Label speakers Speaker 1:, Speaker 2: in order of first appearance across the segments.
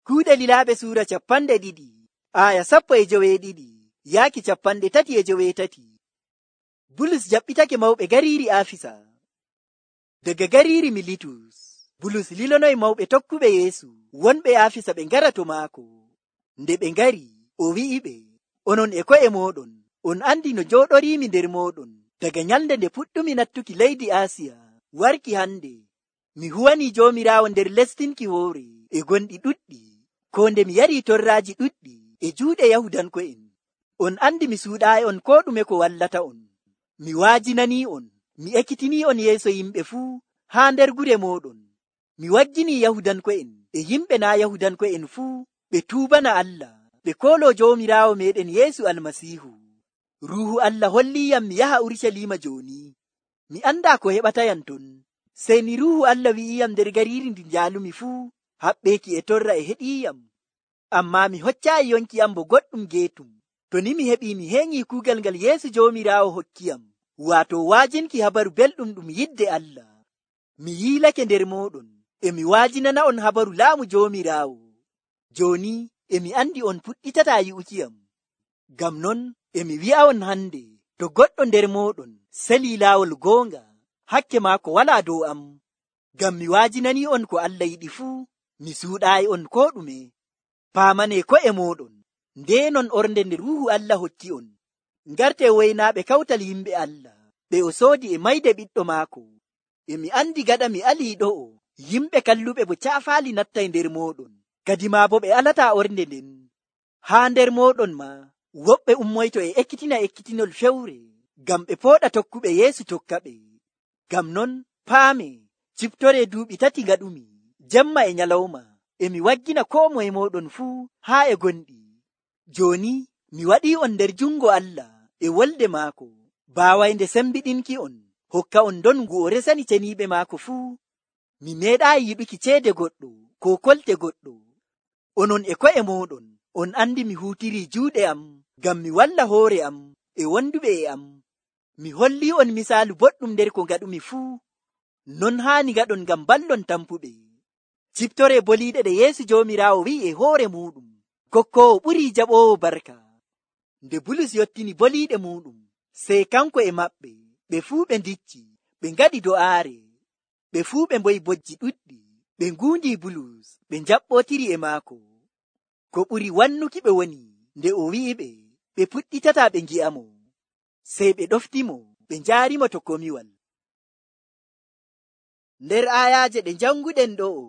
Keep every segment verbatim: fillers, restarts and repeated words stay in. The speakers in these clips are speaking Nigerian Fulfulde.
Speaker 1: Kuuɗe Lilaaɓe suura capanɗe ɗiɗi, aya sappo e joweeɗiɗi, yaaki capanɗe tati e joweetati. Bulus jaɓɓitake mawɓe gariiri Afisa. Daga gariiri Militus, Bulus lilonoy mawɓe tokkuɓe Yeesu wonɓe Afisa ɓe ngara to maako. Nde ɓe ngari, o wi'iɓe, onon e ko'e mooɗon, on andi no jooɗoriimi nder mooɗon daga nyalnde nde puɗɗumi nattuki leydi Asiya warki hande. Mi huwanii Joomiraawo nder lestinki hoore e gonɗi ɗuɗɗi, ko nde mi yarii torraaji ɗuɗɗi e juuɗe Yahudanko'en. On andi mi suuɗaayi on koo ɗume ko wallata on. Mi waajinanii on, mi ekkitinii on yeeso yimɓe fuu haa nder gure mooɗon. Mi wagginii Yahudanko'en e yimɓe naa Yahudanko'en fuu ɓe tuubana Allah, ɓe kooloo Joomiraawo meeɗen Yeesu Almasiihu. Ruuhu Allah holliiyam mi yaha Urucaliima jooni. Mi andaa ko heɓatayam ton. Sey ni Ruuhu Allah wi'iyam nder gariiri ndi njaalumi fuu, haɓɓeeki e torra e heɗiiyam. Ammaa mi hoccaayi yonki am bo goɗɗum geetum. To ni mi heɓii mi heeŋii kuugal ngal Yeesu Joomiraawo hokkiyam, waato waajinki habaru belɗum ɗum yidde Allah. Mi yiilake nder mooɗon, e mi waajinana on habaru laamu Joomiraawo. Jooni e mi andi on puɗɗitataa yi'ukiyam. Ngam non e mi wi'a'on hande, to goɗɗo nder mooɗon selii laawol goonga, hakke maako walaa dow am. Ngam mi waajinanii on ko Allah yiɗi fuu, mi suuɗaayi on koo ɗume. Paamanee ko'e mooɗon, ndeenon ornde nde Ruuhu Allah hokki on. Ngarte woynaaɓe kawtal yimɓe Allah, ɓe o soodi e mayde ɓiɗɗo maako. E mi andi gaɗa mi alii ɗo'o, yimɓe kalluɓe bo caafaali nattay nder mooɗon, kadimaa bo ɓe alataa ornde nden. Haa nder mooɗon ma, woɓɓe ummoyto e ekkitina ekkitinol fewre, ngam ɓe pooɗa tokkuɓe Yeesu tokka ɓe. Ngam non, paame, ciftoree duuɓi tati ngaɗumi, jemma e nyalawma, e mi waggina koo moye mooɗon fuu haa e gonɗi. Jooni, mi waɗii on nder jungo Allah e wolde maako, baawaynde sembiɗinki on, hokka on ndongu o resani ceniiɓe maako fuu. Mi meeɗaayi yiɗuki ceede goɗɗo, ko kolte goɗɗo. Onon e ko'e mooɗon, on andi mi huutirii juuɗe am, ngam mi walla hoore am e wonduɓe e am. Mi hollii on misaalu boɗɗum nder ko ngaɗumi fuu. Non haani ngaɗon ngam ballon tampuɓe. Ciftoree boliiɗe ɗe Yeesu Joomiraawo wi'i e hoore muuɗum, kokkoowo ɓurii jaɓoowo barka. Nde Bulus yottini boliiɗe muuɗum, sey kanko e maɓɓe, ɓe fuu ɓe ndicci, ɓe ngaɗi do'aare. Ɓe fuu ɓe mboyi bojji ɗuɗɗi, ɓe nguundii Bulus, ɓe njaɓɓootiri e maako. Ko ɓuri wannuki ɓe woni, nde o wi'iɓe, ɓe puɗɗitataa ɓe ngi'amo. Sey ɓe ɗoftimo, ɓe njaarimo to komiwal. Nder aayaaje ɗe janguɗen ɗo'o,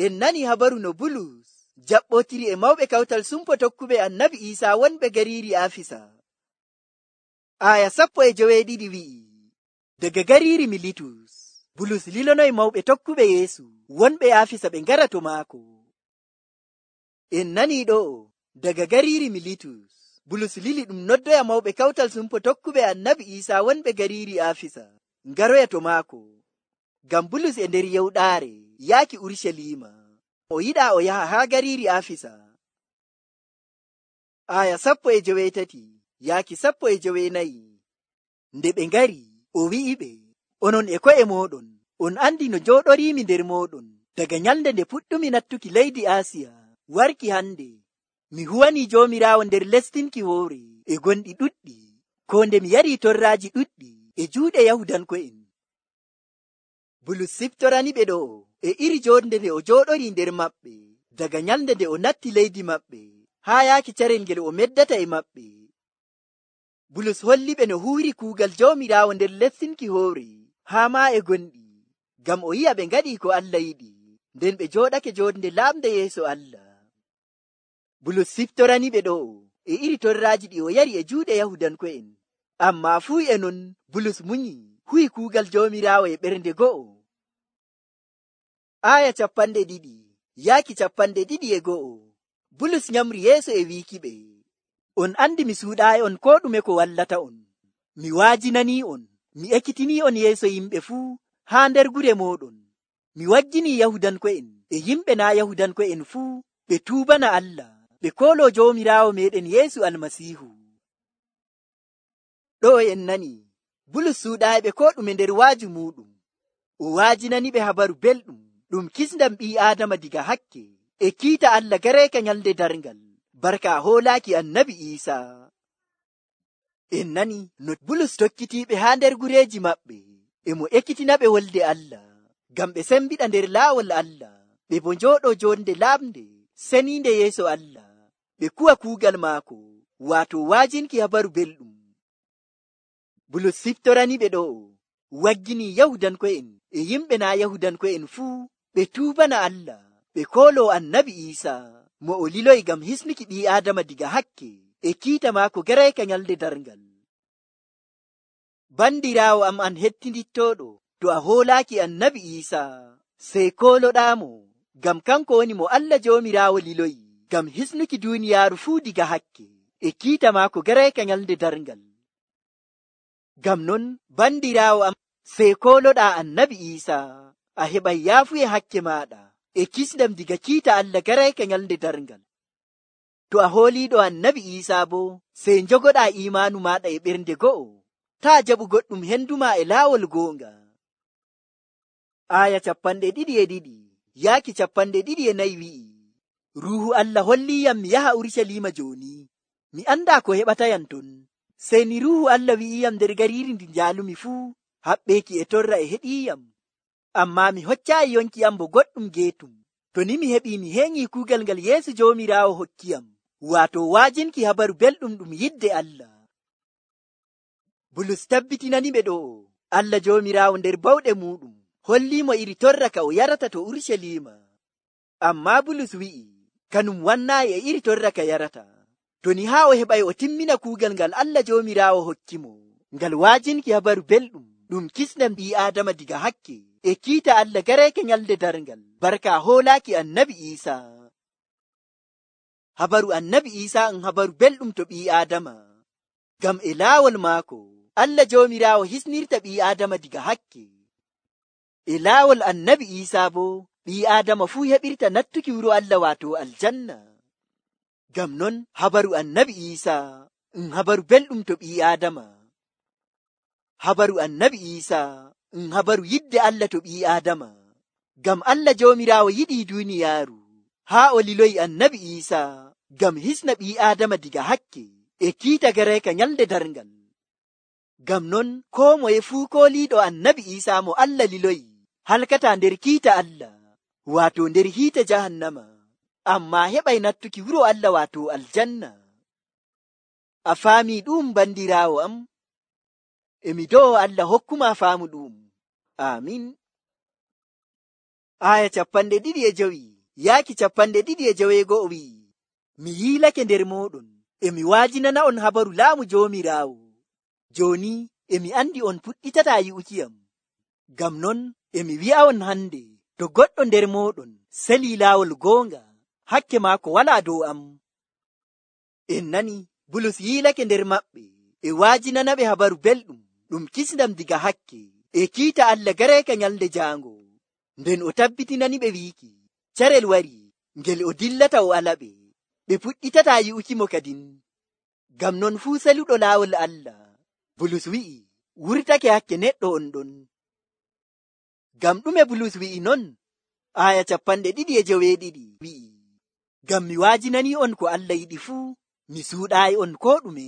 Speaker 1: en nani habaru no Bulus jaɓɓootiri e mawɓe kawtal sumpo tokkuɓe Annabi Iisaa wonɓe gariiri Afisa. Aaya sappo e joweeɗiɗi wi'i, daga gariiri Militus, Bulus lilonoy mawɓe tokkuɓe Yeesu wonɓe Afisa ɓe ngara to maako. En nani ɗo'o, daga gariiri Militus, Bulus lili ɗum noddoya mawɓe kawtal sumpo tokkuɓe Annabi Iisaa wonɓe gariiri Afisa ngaroya to maako. Ngam Bulus e nder yewɗaare yaaki Urucaliima, o yiɗaa o yaha haa gariiri Afisa. Aya sappo e joweetati yaaki sappo e joweenayi. Nde ɓe ngari, o wi'iɓe, onon e ko'e mooɗon, on andi no jooɗoriimi nder mooɗon daga nyalnde nde puɗɗumi nattuki leydi Asiya warki hande. Mi huwanii Joomiraawo nder lestinki hoore e gonɗi ɗuɗɗi, ko nde mi yarii torraaji ɗuɗɗi e juuɗe Yahudanko'en. Bulus siftorani ɓe ɗo e iri joonde nde o jooɗorii nder maɓɓe daga nyalnde nde o natti leydi maɓɓe haa yaaki carel ngel o meddata e maɓɓe. Bulus holli ɓe no huuri kuugal Joomiraawo nder lestinki hoore haa maa e gonɗi, ngam o yi'a ɓe ngaɗii ko Allah yiɗi, nden ɓe jooɗake joonde laamde yeeso Allah. Bulus siftorani ɓe ɗo e iri torraaji ɗi o yari e juuɗe Yahudanko'en, ammaa fuu e non Bulus munyi huwi kuugal Joomiraawo e ɓernde go'o. Aaya capanɗe ɗiɗi yaaki capanɗe ɗiɗi e go'o. Bulus nyamri yeeso e wiiki ɓe, on andi mi suuɗaayi on koo ɗume ko wallata on. Mi waajinanii on, mi ekkitinii on yeeso yimɓe fuu haa nder gure mooɗon. Mi wagginii Yahudanko'en e yimɓe naa Yahudanko'en fuu ɓe tuubana Allah, ɓe kooloo Joomiraawo meeɗen Yeesu Almasiihu. Ɗo en nani, Bulus suuɗaayiɓe koo ɗume nder waaju muuɗum. O waajinani ɓe habaru belɗum ɗum kisndam ɓii Aadama diga hakke, e kiita Allah gareeka nyalde darngal barka hoolaaki annabi Iisaa. En nani no Bulus tokkitiiɓe haa nder gureeji maɓɓe e mo ekkitinaɓe wolde Allah ngam ɓe sembiɗa nder laawol Allah, ɓe bo njooɗoo jonde lamde seniinde yeeso Allah, ɓe kuwa kuugal maako waato waajinki habaru belɗum. Bulus siftorani ɓe ɗo waggini Yahudanko'en e yimɓe naa Yahudanko'en fuu ɓe tuubana Allah, ɓe kooloo annabi Iisaa mo o liloyi ngam hisnuki ɓii Aadama diga hakke e kiita maako gareeka nyalde darngal. Bandiraawo am an hettindittooɗo, to a hoolaaki annabi Iisaa sey kooloɗaamo, ngam kanko woni mo Allah Joomiraawo liloyi ngam hisnuki duuniyaaru fuu diga hakke e kiita maako gareeka nyalde darngal. Ngam non bandiraawo am sey kooloɗaa annabi Iisaa, a heɓay yaafuye hakke maaɗa e kisndam diga kiita Allah gareeka nyalde darngal. To a hooliiɗo annabi Iisaa boo sey njogoɗaa iimaanu maaɗa e ɓernde go'o, taa jaɓu goɗɗum henduma e laawol goonga. Aya capanɗe ɗiɗi e ɗiɗi yaaki capanɗe ɗiɗi e nayi wi'i, Ruuhu Allah holliyam mi yaha Urusalima jooni, mi andaa ko heɓatayam ton. Sey ni Ruuhu Allah wi'iyam nder gariiri ndi njaalumi fuu, haɓɓeeki e torra e heɗiiyam. Ammaa mi hoccaayi yonki am bo goɗɗum geetum, to ni mi heɓii mi heeŋii kuugal ngal Yeesu Joomiraawo hokkiyam, waato waajinki habaru belɗum ɗum yidde Allah. Bulus tabbitinani ɓe ɗo Allah Joomiraawo nder bawɗe muuɗum holliimo iri torra ka o yarata to Urusalima. Ammaa Bulus wi'i kanum wannaayi e iri torra ka yarata, to ni haa o heɓay o timmina kuugal ngal Allah Joomiraawo hokkimo, ngal waajinki habaru belɗum ɗum kisnam ɓii Aadama diga hakke e kiita Allah gareeke nyalde darngal barka hoolaaki annabi Iisaa. Habaru annabi Iisaa en habaru belɗum to ɓii Aadama, ngam e laawol maako Allah Joomiraawo hisnirta ɓii Aadama diga hakke. E laawol annabi Iisaa boo ɓii Aadama fuu heɓirta nattuki wuro Allah waato aljanna. Ngam non habaru annabi Iisaa en habaru belɗum to ɓii Aadama. Habaru annabi Iisaa en habaru yidde Allah to ɓii Aadama, ngam Allah Joomiraawo yiɗii duuniyaaru haa o liloyi annabi Iisaa ngam hisna ɓii Aadama diga hakke e kiita gareeka nyalde darngal. Ngam non koo moye fuu kooliiɗo annabi Iisaa mo Allah liloyi halkataa nder kiita Allah, waato nder hiite jahannama, ammaa heɓay nattuki wuro Allah waato aljanna. A faamii ɗum bandiraawo am? Emi do'o Allah hokkuma faamu ɗum. Amin. Aya capanɗe ɗiɗi e jowi yaaki capanɗe ɗiɗi e joweego'o wi'i, mi yiilake nder mooɗon, emi waajinana on habaru laamu Joomiraawo. Jooni emi andi on puɗɗitataa yi'ukiyam. Ngam non emi wi'a'on hande, to goɗɗo nder mooɗon selii laawol goonga, hakke maako walaa dow am. En nani Bulus yiilake nder maɓɓe e waajinanaɓe habaru belɗum ɗum kisndam diga hakke e kiita Allah gareeka nyalde jaango, nden o tabbitinani ɓe wiiki carel wari ngel o dillata o alaɓe, ɓe puɗɗitataa yi'ukimo kadin. Ngam non fuu seluɗo laawol Allah, Bulus wi'i wurtake hakke neɗɗo on ɗon. Ngam ɗume Bulus wi'i non? Aya capanɗe ɗiɗi e joweeɗiɗi wi'i, ngam mi waajinani on ko Allah yiɗi fuu, mi suuɗaayi on ko ɗume.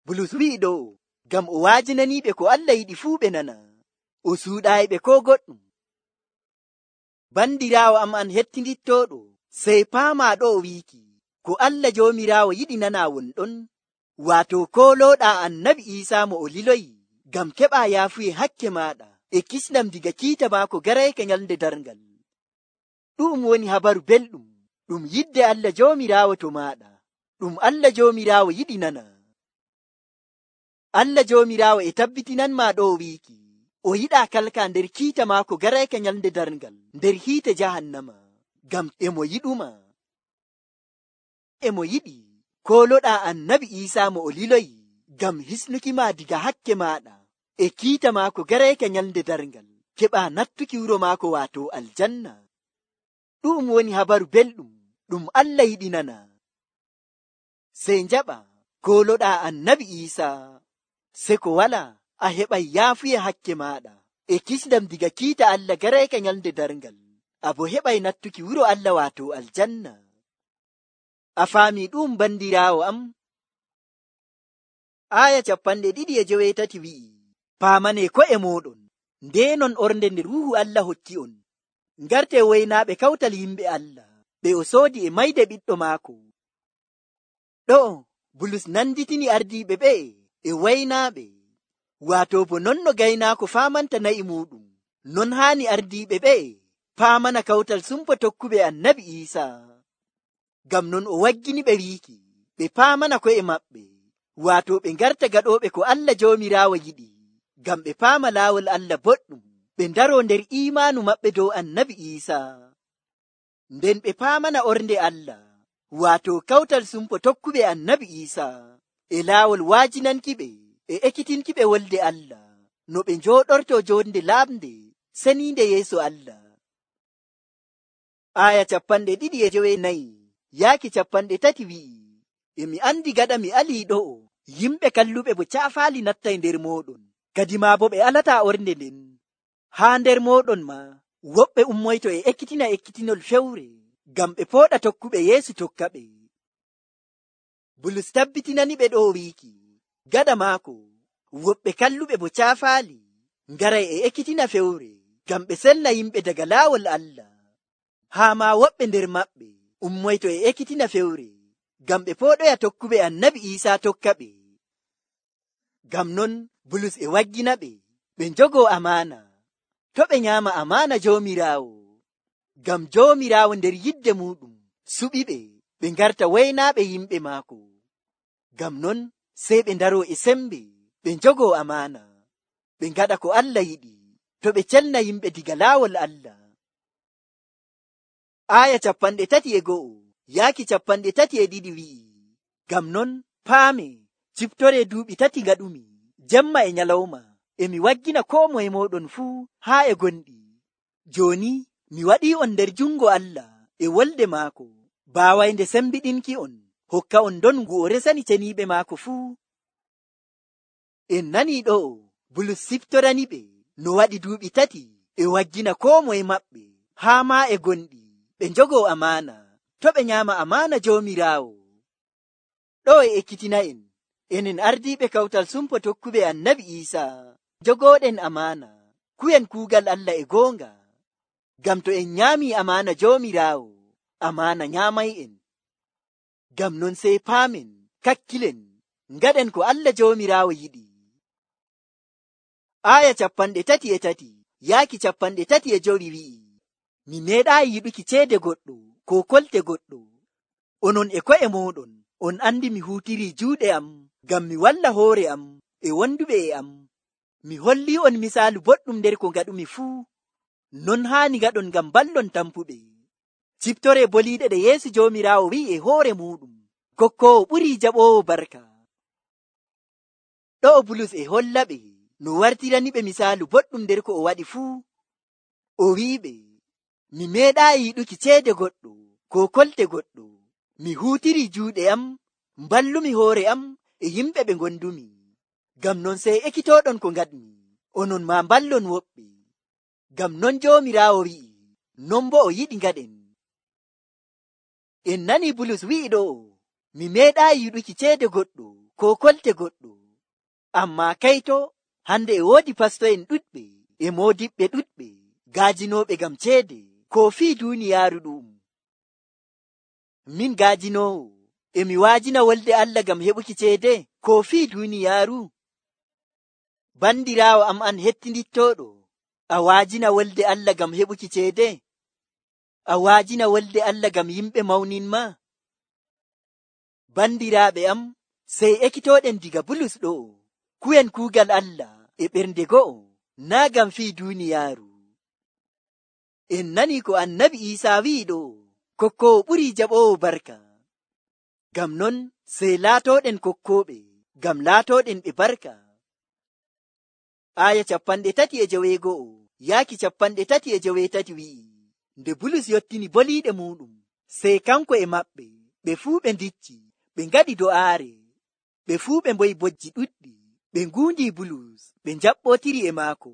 Speaker 1: Bulus wi'i ɗo ngam o waajinaniiɓe ko Allah yiɗi fuu ɓe nana, o suuɗaayi ɓe ko goɗɗum. Bandiraawo am an hettindittooɗo, sey paamaa ɗo o wiiki ko Allah Joomiraawo yiɗi nanaa won ɗon, waato koolooɗaa annabi Iisaa mo o liloyi ngam keɓaa yaafuye hakke maaɗa e kisnam diga kiita maako gareeka nyalde darngal. Ɗum woni habaru belɗum ɗum yidde Allah Joomiraawo to maaɗa, ɗum Allah Joomiraawo yiɗi nana. Allah Joomiraawo e tabbitinanmaa ɗo o wiiki o yiɗaa kalka nder kiita maako gareeka nyalde darngal nder hiite jahannama, ngam emo yiɗuma. Emo yiɗi kooloɗaa annabi Iisaa mo o liloyi ngam hisnuki ma diga hakke maaɗa e kiita maako gareeka nyalde darngal, keɓaa nattuki wuro maako waato aljanna. Ɗum woni habaru belɗum ɗum Allah yiɗi nana. Sey njaɓa kooloɗaa annabi Iisaa, se ko wala a heɓay yaafuye hakke maaɗa e kisndam diga kiita Allah gareeka nyalde darngal. a bo heɓay nattuki wuro Allah waato aljanna. A faami ɗum bandiraawo am? Aya capanɗe ɗiɗi e joweetati wi'i, paamane ko'e mooɗon, ndenon ornde nde Ruuhu Allah hokki on. Ngarte waynaaɓe kawtal yimɓe Allah, ɓe o soodi e mayde ɓiɗɗo maako. Ɗo'o Bulus nanditini ardiiɓe ɓe'e e waynaaɓe, waato bo non no gaynaako faamanta na'i muuɗum, non haani ardiiɓe ɓe'e paamana kawtal sumpo tokkuɓe Annabi Iisaa. Ngam non o waggini ɓe wiiki ɓe paamana ko'e maɓɓe, waato ɓe ngarta gaɗooɓe ko Allah Joomiraawo yiɗi, ngam ɓe paama laawol Allah boɗɗum, ɓe ndaroo nder iimaanu maɓɓe dow Annabi Iisaa. Nden ɓe paamana ornde Allah, waato kawtal sumpo tokkuɓe Annabi Iisaa, e laawol waajinankiɓe e ekkitinkiɓe wolde Allah, no ɓe njooɗortoo joonde laaɓnde seniinde yeeso Allah. Aya capanɗe ɗiɗi e jowenayi yaaki capanɗe tati wi'i, e mi andi gaɗa mi alii ɗo'o, yimɓe kalluɓe bo caafaali nattay nder mooɗon, kadi maa bo ɓe alataa ornde nden. Haa nder mooɗon ma woɓɓe ummoyto e ekkitina ekkitinol fewre, ngam ɓe pooɗa tokkuɓe Yeesu tokka ɓe. Bulus tabbitinani ɓe ɗo wiiki, gaɗa maako woɓɓe kalluɓe bo caafaali ngaray e ekkitina fewre, ngam ɓe selna yimɓe daga laawol Allah. Haa ma woɓɓe nder maɓɓe ummoyto e ekkitina fewre, ngam ɓe pooɗoya tokkuɓe Annabi Iisaa tokka ɓe. Ngam non Bulus e waggina ɓe, ɓe njogoo amaana, to ɓe nyaama amaana Joomiraawo, ngam Joomiraawo nder yidde muuɗum suɓi ɓe, ɓe ngarta waynaaɓe yimɓe maako. Ngam non sey ɓe ndaroo e sembe, ɓe njogoo amaana, ɓe ngaɗa ko Allah yiɗi, to ɓe celna yimɓe diga laawol Allah. Aya capanɗe tati e go'o yaaki capanɗe tati e ɗiɗi wi'i, ngam non paame ciftore duuɓi tati ngaɗumi, jemma e nyalawma, e mi waggina koo moye mooɗon fuu haa e gonɗi. Jooni mi waɗii on nder jungo Allah e wolde maako, baawaynde sembiɗinki on, hokka on don ngu o resani ceniiɓe maako fuu. En nanii ɗo'o Bulus siftorani ɓe no waɗi duuɓi tati e waggina koo moye maɓɓe haa maa e gonɗi, ɓe njogoo amaana, to ɓe nyaama amaana Joomiraawo. Ɗo e ekkitina en, enen ardiiɓe kawtal sumpo tokkuɓe Annabi Iisaa, jogooɗen amaana, kuyen kuugal Allah e goonga. Ngam to en nyaamii amaana Joomiraawo, amaana nyaamay en. Ngam non sey paamen, kakkilen, ngaɗen ko Allah Joomiraawo yiɗi. Aya capanɗe tati e tati yaaki capanɗe tati e jowi wi'i, mi meeɗaayi yiɗuki ceede goɗɗo ko kolte goɗɗo. Onon e ko'e mooɗon on andi mi huutirii juuɗe am ngam mi walla hoore am e wonduɓe e am. Mi hollii on misaalu boɗɗum nder ko ngaɗumi fuu. Non haani ngaɗon ngam ballon tampuɓe. Ciftore boliiɗe ɗe Yeesu Joomiraawo wi'i e hoore muuɗum, kokkoowo ɓurii jaɓoowo barka. Ɗo'o Bulus e holla ɓe no wartirani ɓe misaalu boɗɗum nder ko o waɗi fuu. O wi'iɓe, mi meeɗaayi yiɗuki ceede goɗɗo ko kolte goɗɗo. Mi huutirii juuɗe am, mballumi hoore am e yimɓe ɓe ngondumi. Ngam non sey ekkitooɗon ko ngaɗmi, onon ma mballon woɓɓe. Ngam non Joomiraawo wi'i, non bo o yiɗi ngaɗen. En nani Bulus wi'i ɗo, mi meeɗaayi yiɗuki ceede goɗɗo ko kolte goɗɗo. Ammaa kayto, hande e woodi pasto'en ɗuɗɓe e moodiɓɓe ɗuɗɓe gaajinooɓe ngam ceede ko fii duuniyaaru ɗum. Min gaajinoowo, e mi waajina wolde Allah ngam heɓuki ceede ko fii duuniyaaru? Bandiraawo am an hettindittooɗo, a waajina wolde Allah ngam heɓuki ceede? A waajina wolde Allah ngam yimɓe mawninma? Bandiraaɓe am, sey ekkitooɗen diga Bulus ɗo, kuyen kuugal Allah e ɓernde go'o, naa ngam fii duuniyaaru. En nani ko Annabi Iisaa wi'i ɗo, kokkoowo ɓurii jaɓoowo barka. Ngam non sey laatooɗen kokkooɓe, ngam laatooɗen ɓe barka. Aya capanɗe tati e joweego'o yaaki capanɗe tati e joweetati wi'i, nde Bulus yottini boliiɗe muuɗum, sey kanko e maɓɓe ɓe fuu ɓe ndicci, ɓe ngaɗi do'aare. Ɓe fuu ɓe mboyi bojji ɗuɗɗi, ɓe nguundii Bulus, ɓe njaɓɓootiri e maako.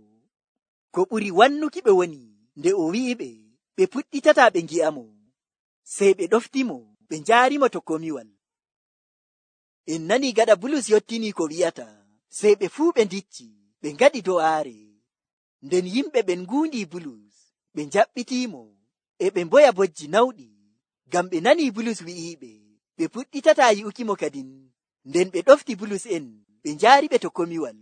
Speaker 1: Ko ɓuri wannuki ɓe woni nde o wi'iɓe, ɓe puɗɗitata ɓe ngi'amo, sey ɓe ɗoftimo ɓe njaarimo to komiwal. En nani gaɗa Bulus yottini ko wi'ata, sey ɓe fuu ɓe ndicci ɓe ngaɗi do'aare. Nden yimɓe ɓen nguundi Bulus, ɓe njaɓɓitiimo, e ɓe mboya bojji nawɗi, ngam ɓe nani Bulus wi'iiɓe ɓe puɗɗitata yi'ukimo kadin. Nden ɓe ɗofti Bulus en ɓe njaariɓe to komiwal.